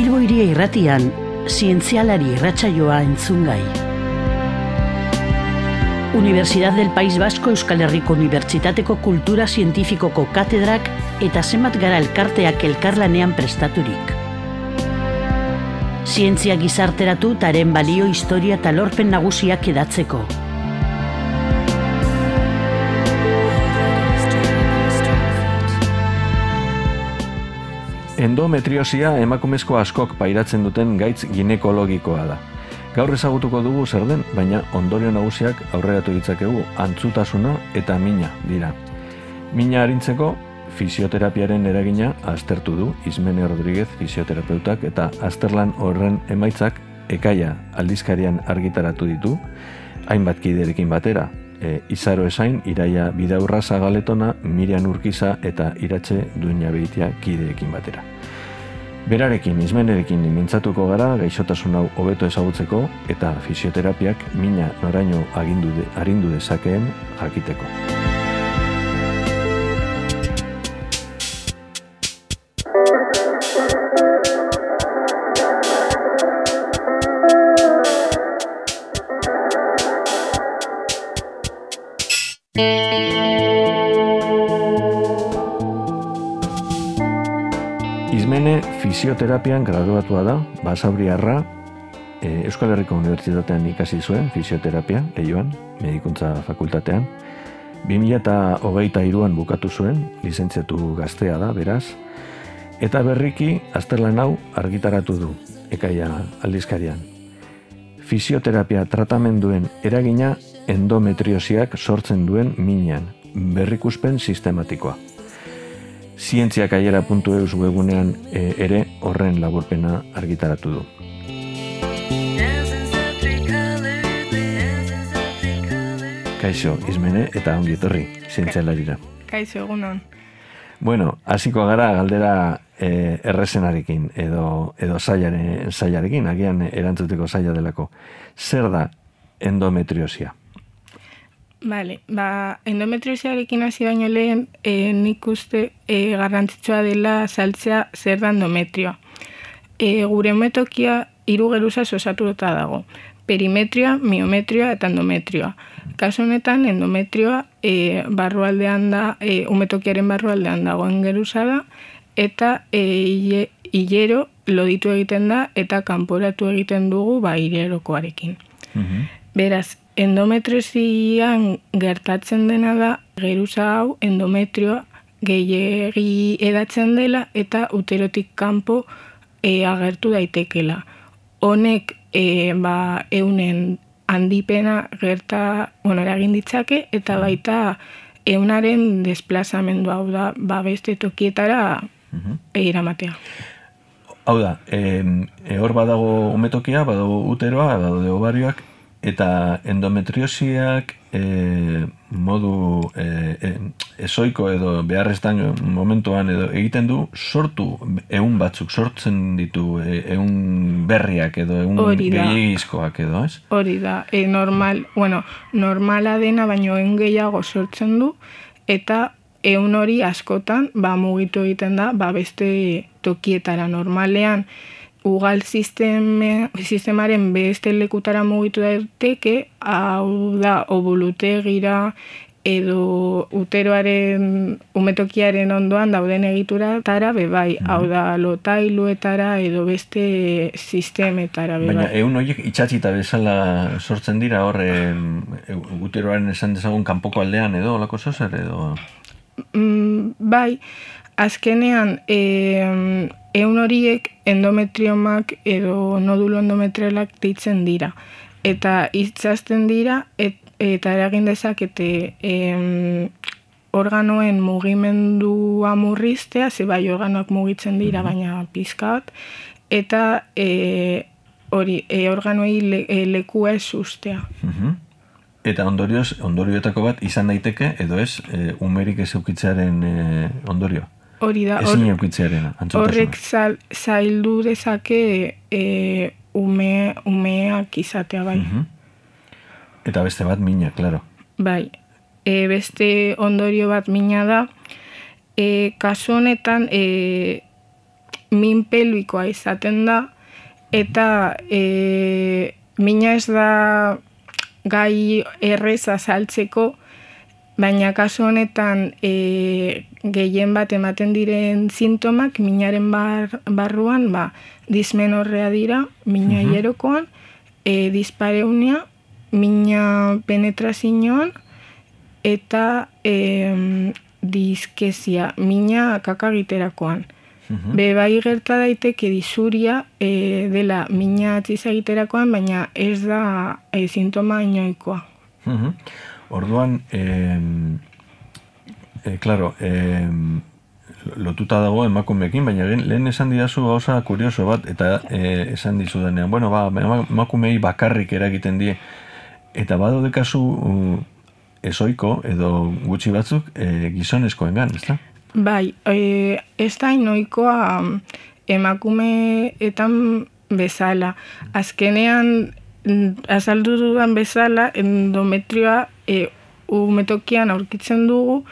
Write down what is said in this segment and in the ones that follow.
Bilbo Hiria Irratian, zientzialari irratsaioa entzungai. Universidad del País Vasco Euskal Herriko Unibertsitateko Kultura Zientifikoko katedrak eta zenbat gara elkarteak elkarlanean prestaturik. Zientzia gizarteratu eta haren balio, historia eta lorpen nagusiak edatzeko. Endometriosia emakumezko askok pairatzen duten gaitz ginekologikoa da. Gaur ezagutuko dugu zer den, baina ondorio nagusiak aurreratu ditzakegu antzutasuna eta mina dira. Mina arintzeko fisioterapiaren eragina aztertu du Ismene Rodríguez fisioterapeutak eta azterlan horren emaitzak Ekaia aldizkarian argitaratu ditu, hainbat kiderekin batera. Izaro Esain, Iraia Bidaurra Zagaletona, Mirian Urkiza eta Iratxe Duinabeitia kideekin batera. Berarekin, Ismenerekin mintzatuko gara gaixotasun hau hobeto ezagutzeko eta fisioterapiak mina noraino arindu dezakeen jakiteko. Ismene fisioterapian graduatua da, basauriarra, Euskal Herriko Unibertsitatean ikasi zuen fisioterapia, Leioan, medikuntza fakultatean. 2023an bukatu zuen, lizentziatu gaztea da, beraz, eta berriki azterlan hau argitaratu du, Ekaia aldizkarian. Fisioterapia tratamenduen eragina endometriosiak sortzen duen minean, berrikuspen sistematikoa. Zientziakaiera.eus webunean ere horren laburpena argitaratu du. Kaixo, Ismene, eta ongi etorri, zientzialarira. Kaixo, egunon. Bueno, hasiko gara galdera errezenarekin edo zailarekin, agian erantzuteko zaila delako. Zer da endometriosia? Vale, endometriosiarekin hasi baino lehen, nik uste garrantzitsua dela azaltzea zer da endometrioa. Gure umetokia 3 geruzaz osatuta dago. Perimetrioa, miometrioa eta endometrioa. Kasu honetan, endometrioa barrualdean da, umetokiaren barrualdean dagoen geruza da, eta hilero loditu egiten da eta kanporatu egiten dugu hilerokoarekin. Beraz, endometriosian gertatzen dena da, geruza hau endometrioa gehiegi edatzen dela eta uterotik kanpo agertu daitekela. Honek eunen handipena eragin ditzake eta baita eunaren desplazamendua, hau da, beste tokietara eramatea. Hau da, hor badago umetokia, badago uteroa, badago ovarioak, eta endometriosiak modu ezoiko edo beharreztan momentuan edo egiten du sortu batzuk, sortzen ditu berriak edo gehiagizkoak edo, ez? Hori da, normala dena baino gehiago sortzen du eta hori askotan mugitu egiten da beste tokietara. Normalean ugal sistemaren beste lekutara mugitu daiteke, hau da, obulutegira edo uteroaren umetokiaren ondoan dauden egituratara bebai, hau da, lotailuetara edo beste sistemetara bebai. Baina horiek itxatzita bezala sortzen dira hor uteroaren esan dezagun kanpoko aldean edo olako zozer edo? Bai, azkenean horiek endometriomak edo nodulo endometrialak deitzen dira. Eta itzazten dira eta eragin dezakete organoen mugimendua murriztea, ze bai organoak mugitzen dira, baina pizkat, eta organoei lekua ez ustea. Eta ondorioetako bat izan daiteke, edo ez, umerik ez eukitzearen ondorio? Hori da, horrek zaildu dezake umeak izatea, bai. Eta beste bat mina, klaro. Bai, beste ondorio bat mina da, kasu honetan min pelbikoa izaten da, eta mina ez da gai erreza saltzeko, baina kasu honetan gehien bat ematen diren sintomak minaren barruan dismenorrea dira, mina hierokoan, dispareunia, mina penetrazioan, eta diskezia, mina kakagiterakoan. Bai gerta daiteke disuria dela mina atzizagiterakoan, baina ez da sintoma inoikoa. Orduan, claro, lotuta dago emakumeekin, baina lehen esan didazu gauza kurioso bat, eta esan dizu denean, bueno, emakumei bakarrik eragiten die, eta badaude kasu ezoiko edo gutxi batzuk gizonezkoengan, ezta? Bai, ez da inoikoa emakumeetan bezala. Azkenean, azaldu dudan bezala, endometrioa umetokian aurkitzen dugu,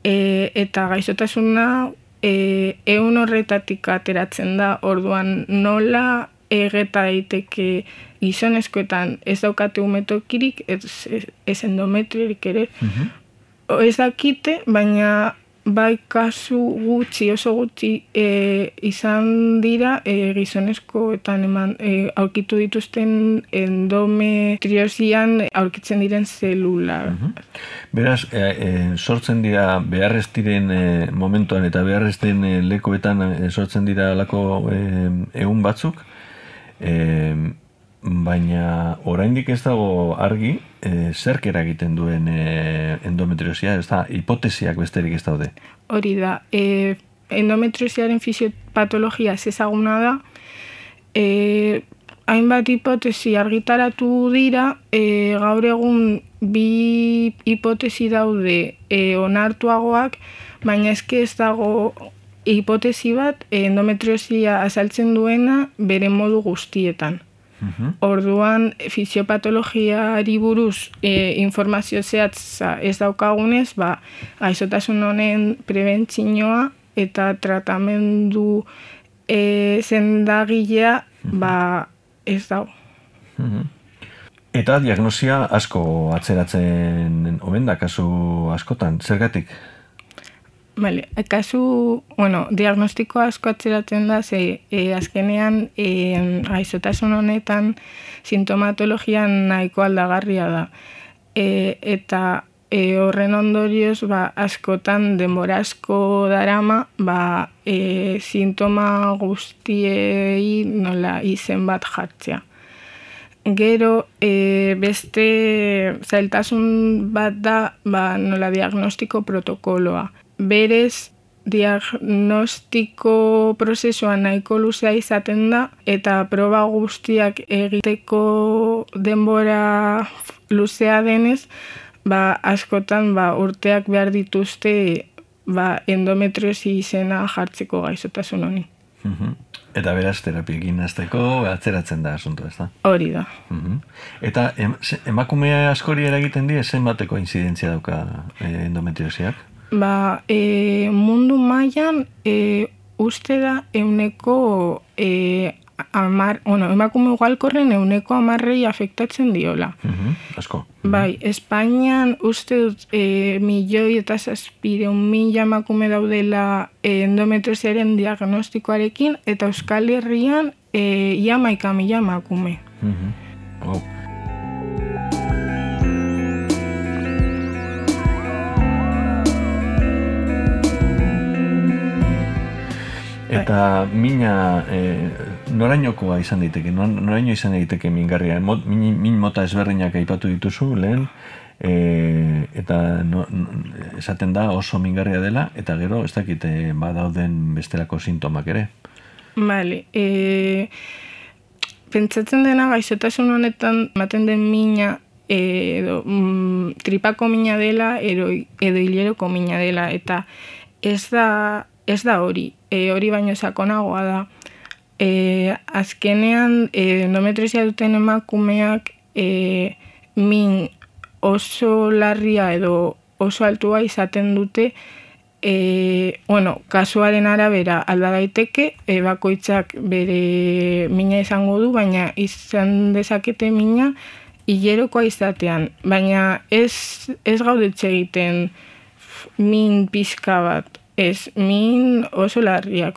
eta gaixotasuna 100 horretatik ateratzen da, orduan nola egeta daiteke gizonezkoetan ez daukate umetokirik, ez endometriorik ere. Ez dakite, baina bai kasu gutxi, oso gutxi izan dira gizonezkoetan aurkitu dituzten endometriosian aurkitzen diren zelula. Beraz, sortzen dira beharrez diren momentuan eta beharrez den lekuetan sortzen dira alako egun batzuk, baina oraindik ez dago argi zerk eragiten duen endometriosia, ez da, hipotesiak besterik ez daude. Hori da, endometriosiaren fisiopatologia ezaguna da, hainbat hipotesi argitaratu dira, gaur egun bi hipotesi daude onartuagoak, baina ez dago hipotesi bat endometriosia azaltzen duena bere modu guztietan. Orduan, fisiopatologiari buruz informazio zehatza ez daukagunez, gaixotasun honen prebentzioa eta tratamendu sendagilea ez dago. Eta diagnosia asko atzeratzen omen da, kasu askotan, zergatik? Vale, diagnostiko asko atzeratzen da, azkenean gaixotasun honetan sintomatologia nahiko aldagarria da. Eta horren ondorioz, askotan denbora asko darama, sintoma guztiei nola izen bat jartzea. Gero, beste zailtasun bat da, nola diagnostiko protokoloa. Berez, diagnostiko prozesua nahiko luzea izaten da, eta proba guztiak egiteko denbora luzea denez, askotan urteak behar dituzte endometriosi izena jartzeko gaixotasun honi. Eta beraz, terapiekin hasteko atzeratzen da asunto, ez da? Hori da. Eta emakume askori eragiten die, zenbateko inzidentzia dauka endometriosiak? Mundu mailan uste da emakume ugalkorren 10% afektatzen diola. Asko. Bai, Espainian uste dut 1.700.000 emakume daudela endometriosiaren diagnostikoarekin, eta Euskal Herrian ia 11.000 emakume. Eta mina norainokoa izan daiteke, noraino izan daiteke mingarria, min mota ezberdinak aipatu dituzu lehen, eta esaten da oso mingarria dela, eta gero ez dakite badauden bestelako sintomak ere. Bale, pentsatzen dena gaixotasun honetan ematen den mina edo tripako mina dela edo hileroko mina dela, eta ez da hori. Hori baino sakonagoa da. Azkenean, endometriosia duten emakumeak min oso larria edo oso altua izaten dute kasuaren arabera alda daiteke, bakoitzak bere mina izango du, baina izan dezakete mina hilerokoa izatean. Baina ez gaudetxe egiten min pizka bat, ez min oso larriak,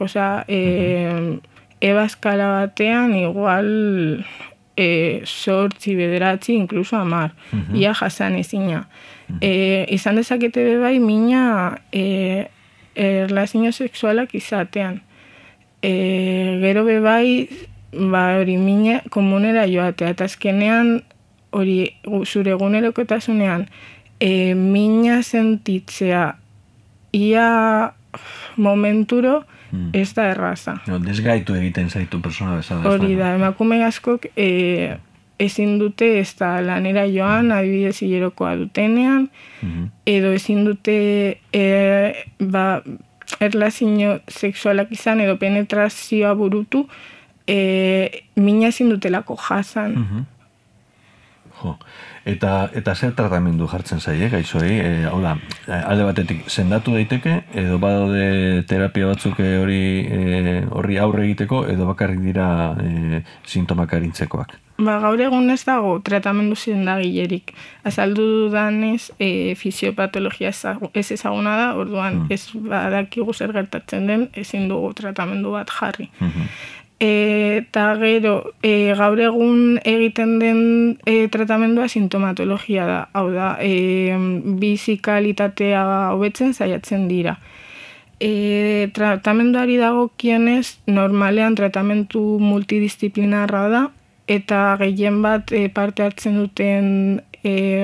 ebaskala batean igual 8, 9, incluso 10, ia jasan ezina. Izan dezakete bebai mina erlazio sexualak izatean. Gero bebai hori mina komunera joatea, eta azkenean hori zure egunerokotasunean mina sentitzea ia momenturo ez da erraza. Desgaitu egiten zaitu persona bezala. Hori da, emakume askok ezin dute ez da lanera joan, adibidez hilerokoa dutenean, edo ezin dute erlazio sexualak izan edo penetrazioa burutu, mina ezin dutelako jasan. Eta zer tratamendu jartzen zaie, gaixoei? Hau da, alde batetik sendatu daiteke, edo badaude terapia batzuk horri aurre egiteko, edo bakarrik dira sintomak arintzekoak? Gaur egun ez dago tratamendu sendagilerik. Azaldu dudanez, fisiopatologia ez ezaguna da, orduan ez badakigu zer gertatzen den, ezin dugu tratamendu bat jarri. Eta gero, gaur egun egiten den tratamendua sintomatologia da. Hau da, bizi kalitatea hobetzen saiatzen dira. Tratamenduari dagokionez, normalean tratamendu multidisciplinarra da, eta gehien bat parte hartzen duten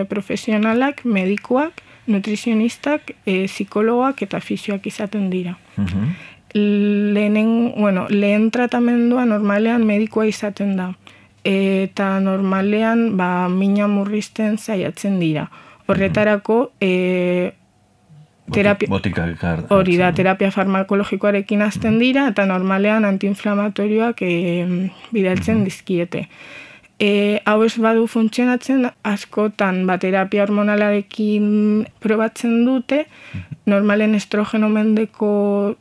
profesionalak, medikuak, nutrizionistak, psikologoak eta fisioak izaten dira. Lehen tratamendua normalean medikoa izaten da. Eta normalean mina murrizten saiatzen dira. Horretarako terapia farmakologikoarekin hasten dira eta normalean antiinflamatorioak bidaltzen dizkiete. Hau ez badu funtzionatzen, askotan terapia hormonalarekin probatzen dute, normalen estrogeno mendeko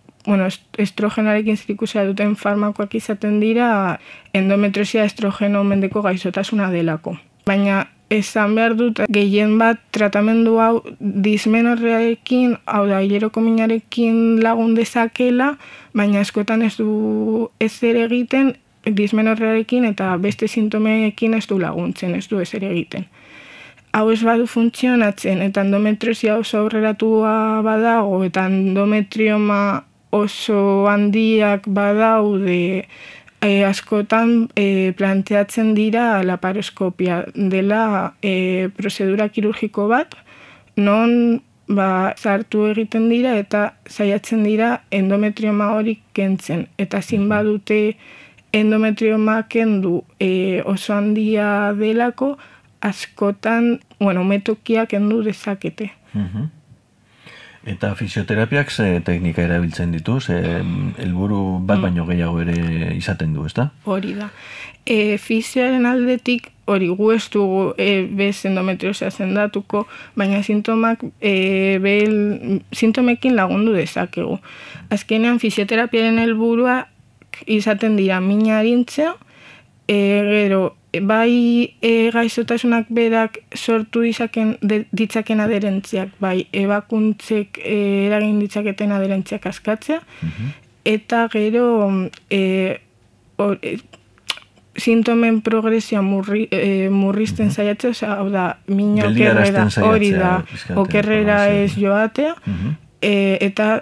estrogenoarekin zerikusia duten farmakoak izaten dira endometriosia estrogeno mendeko gaixotasuna delako. Baina esan behar dut gehien bat tratamendu hau dismenorrearekin, hau da hileroko minarekin lagun dezakela, baina askotan ez du ezer egiten dismenorrearekin eta beste sintomeekin ez du laguntzen, ez du ezer egiten. Hau ez badu funtzionatzen eta endometriosia oso aurreratua badago eta endometrioma oso handiak badaude, askotan planteatzen dira laparoskopia dela prozedura kirurgiko bat, non sartu egiten dira eta saiatzen dira endometrioma hori kentzen. Eta zin badute endometrioma kendu oso handia delako, askotan umetokia kendu dezakete. Eta fisioterapiak ze teknika erabiltzen ditu, helburu bat baino gehiago ere izaten du, ezta? Hori da. Fisioaren aldetik, hori gu ez dugu bez endometriosia sendatuko, baina sintomekin lagundu dezakegu. Azkenean fisioterapiaren helburua izaten dira mina arintzea, gero bai gaixotasunak berak sortu ditzaken aderentziak, bai ebakuntzek eragin ditzaketen aderentziak askatzea, eta gero sintomen progresioa murrizten saiatzea, hau da, mina okerrera hori da, okerrera ez joatea, eta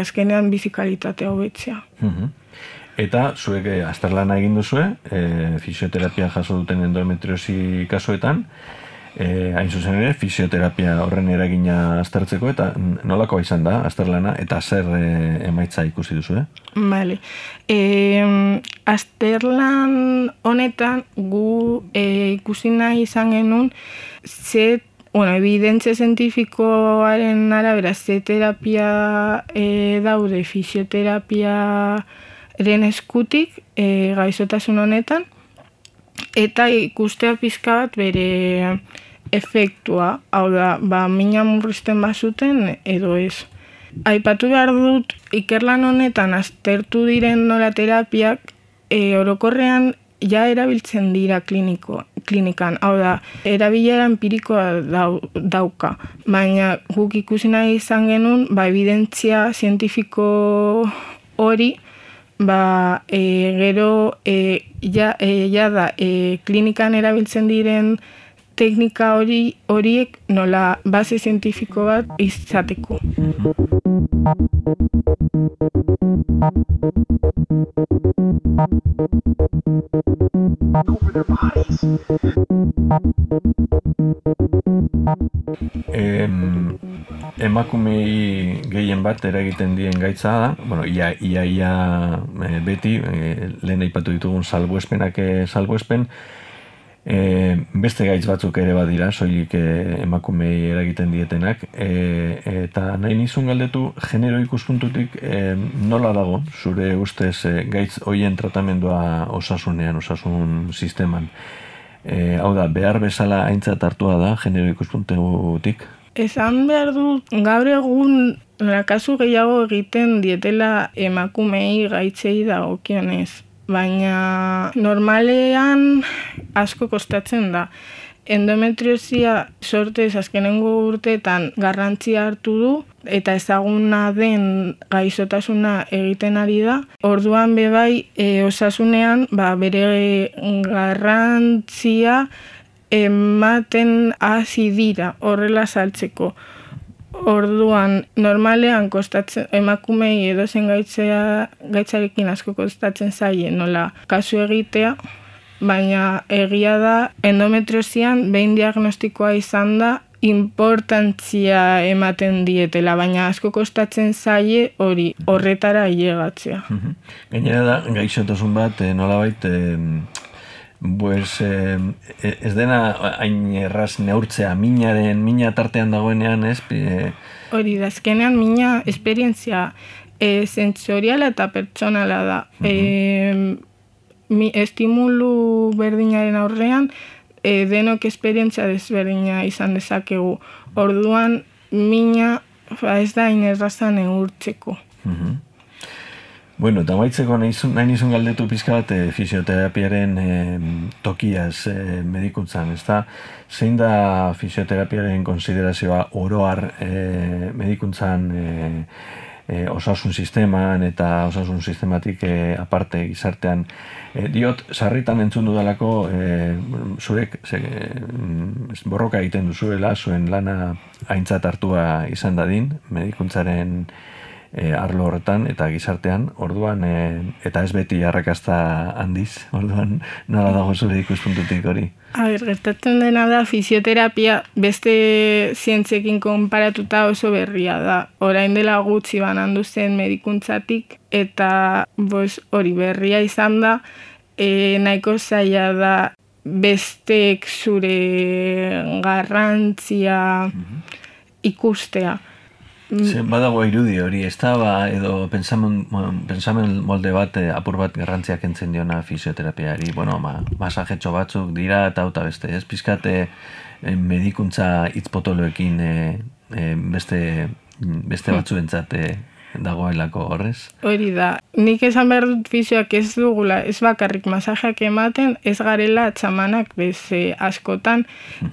azkenean bizikalitatea hobetzea. Eta zuek azterlana egin duzue, fisioterapia jaso duten endometriosi kasuetan, hain zuzen ere, fisioterapia horren eragina aztertzeko, eta nolakoa izan da azterlana, eta zer emaitza ikusi duzue? Bale. Azterlan honetan gu ikusi nahi izan genuen, evidentzia zientifikoaren arabera ze terapia daude fisioterapia eskutik gaixotasun honetan, eta ikustea pizka bat bere efektua, hau da, mina murrizten bazuten edo ez. Aipatu behar dut, ikerlan honetan aztertu diren nola terapiak, orokorrean ja erabiltzen dira klinikan. Hau da, erabilera empirikoa dauka. Baina guk ikusi nahi izan genuen, evidentzia zientifiko hori, gero da klinikan erabiltzen diren teknika horiek nola base zientifiko bat izateko. Emakumei gehien bat eragiten dien gaitza da, ia beti, lehen aipatu ditugun salbuespen, beste gaitz batzuk ere badira, soilik emakumei eragiten dietenak, eta nahi nizun galdetu, genero ikuspuntutik nola dago, zure ustez gaitz hoien tratamendua osasunean, osasun sisteman. Hau da, behar bezala aintzat hartua da, genero ikuspuntutik? Esan behar dut, gaur egun kasu gehiago egiten dietela emakumei gaitzei dagokionez. Baina normalean asko kostatzen da. Endometriosia sortez azkenengo urteetan garrantzia hartu du eta ezaguna den gaixotasuna egiten ari da. Orduan bebai osasunean bere garrantzia ematen hasi dira horrela saltzeko. Orduan, normalean kostatzen emakumei edozen gaitzarekin asko kostatzen zaie nola kasu egitea, baina egia da endometriosian behin diagnostikoa izan da importantzia ematen dietela, baina asko kostatzen zaie hori horretara ailegatzea. Gainera da, gaixotasun bat nolabait ez dena hain erraz neurtzea mina tartean dagoenean, ez? Hori da, azkenean mina esperientzia sentsoriala eta pertsonala da. Estimulu berdinaren aurrean, denok esperientzia desberdina izan dezakegu. Orduan, mina ez da hain erraza neurtzeko. Bueno, eta maitzeko nahi nizun galdetu pizka bat fisioterapiaren tokiaz medikuntzan, ez da? Zein da fisioterapiaren konsiderazioa oroar medikuntzan osasun sisteman eta osasun sistematik aparte gizartean? Diot, sarritan entzun dudalako zurek borroka egiten duzuela, zuen lana aintzat hartua izan dadin, medikuntzaren arlo horretan eta gizartean, orduan, eta ez beti arrakasta handiz, orduan, nola dago zure ikuspuntutik hori? Gertatzen dena da, fisioterapia beste zientziekin konparatuta oso berria da. Orain dela gutxi banandu zen medikuntzatik, eta hori berria izan da, nahiko zaila da besteek zure garrantzia ikustea. Badago irudi hori, ez da, edo pensamen molde bat, apur bat garrantziak entzen diona fisioterapiari, masajetxo batzuk dira eta beste, ez pizkate medikuntza hitzpotoloekin beste batzuentzat dagoelako horrez? Hori da, nik esan behar dut fisioak ez dugula, ez bakarrik masajeak ematen, ez garela txamanak beze askotan,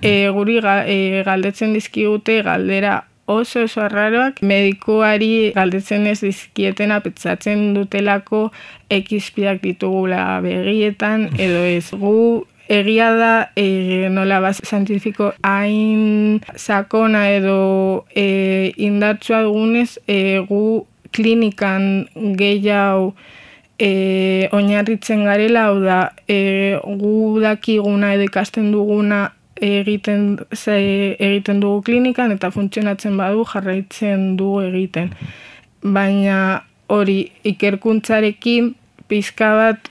guri galdetzen dizkigute galdera oso arraroak, medikuari galdetzen ez dizkietena pentsatzen dutelako ekizpiak ditugula begietan, edo ez gu egia da nola base zientifiko hain sakona edo indartsua dugunez, gu klinikan gehiago oinarritzen garela, hau da, gu dakiguna edo ikasten duguna egiten dugu klinikan eta funtzionatzen badu jarraitzen dugu egiten. Baina hori ikerkuntzarekin pizka bat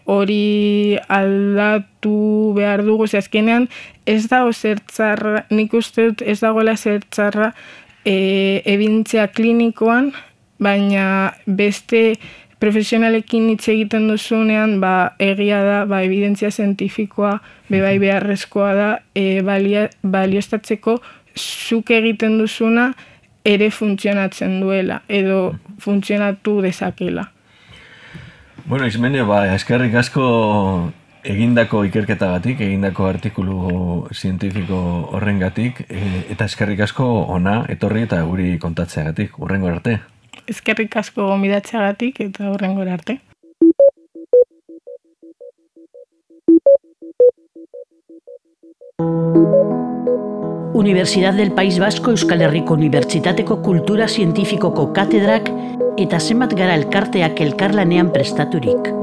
hori aldatu behar dugu, azkenean ez dago zertzarra, nik uste dut ez dagoela zertzarra ebintzea klinikoan, baina beste profesionalekin hitz egiten duzunean, egia da, evidentzia zientifikoa bebai beharrezkoa da balioztatzeko zuk egiten duzuna ere funtzionatzen duela, edo funtzionatu dezakela. Bueno, Ismenio, eskerrik asko egindako ikerketagatik, egindako artikulu zientifiko horrengatik, eta eskerrik asko ona etorri eta guri kontatzeagatik, hurrengora arte. Eskerrik asko gonbidatzeagatik eta hurrengora arte. Universidad del País Vasco Euskal Herriko Unibertsitateko Kultura Zientifikoko katedrak eta zenbat gara elkarteak elkarlanean prestaturik.